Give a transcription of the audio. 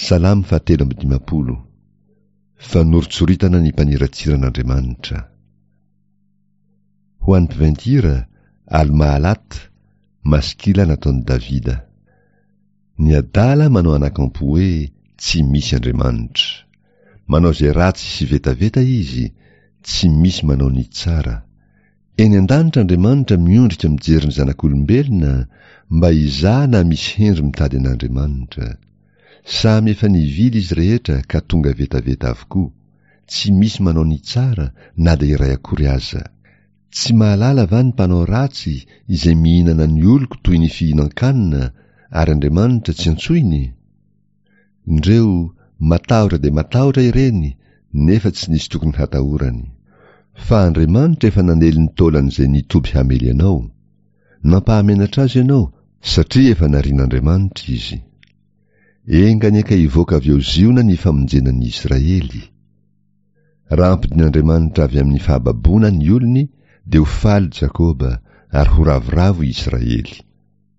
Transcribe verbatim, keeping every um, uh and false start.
Salamo fahatelo amby dimampolo. Fanoritsoritana ny mpaniratsira an'Andriamanitra. Ho an'ny mpiventy-hira, Al-Mahalat, Maskila nataon'i Davida. Ny adala manao anakampo hoe tsy misy Andriamanitra. Manao izay ratsy sy vetaveta izy, tsy misy manao ny tsara. Eny an-danitra Andriamanitra miondrika mijery ny zanak'olombelona mba hizaha na misy hendry mitady an'Andriamanitra. Samy efa nivily izy rehetra ka tonga vetaveta avokoa, tsy misy manao ny tsara na dia iray akory aza. Tsy mahalala va ny mpanao ratsy izay mihinana ny oloko toy ny fihinan-kanina ary Andriamanitra tsy antsoiny? Indreo, matahotra dia matahotra ireny nefa tsy nisy tokony hatahorany. Fa Andriamanitra efa nanely ny taolan'izay nitoby hamely anao. Nampahamenatra azy ianao satria efa narian'Andriamanitra izy. Enga anie ka hivoaka avy ao Ziona ny famonjena ny Israely. Raha ampidin'Andriamanitra avy amin'ny fahababoana ny olony dia ho faly Jakoba ary ho ravoravo i Israely.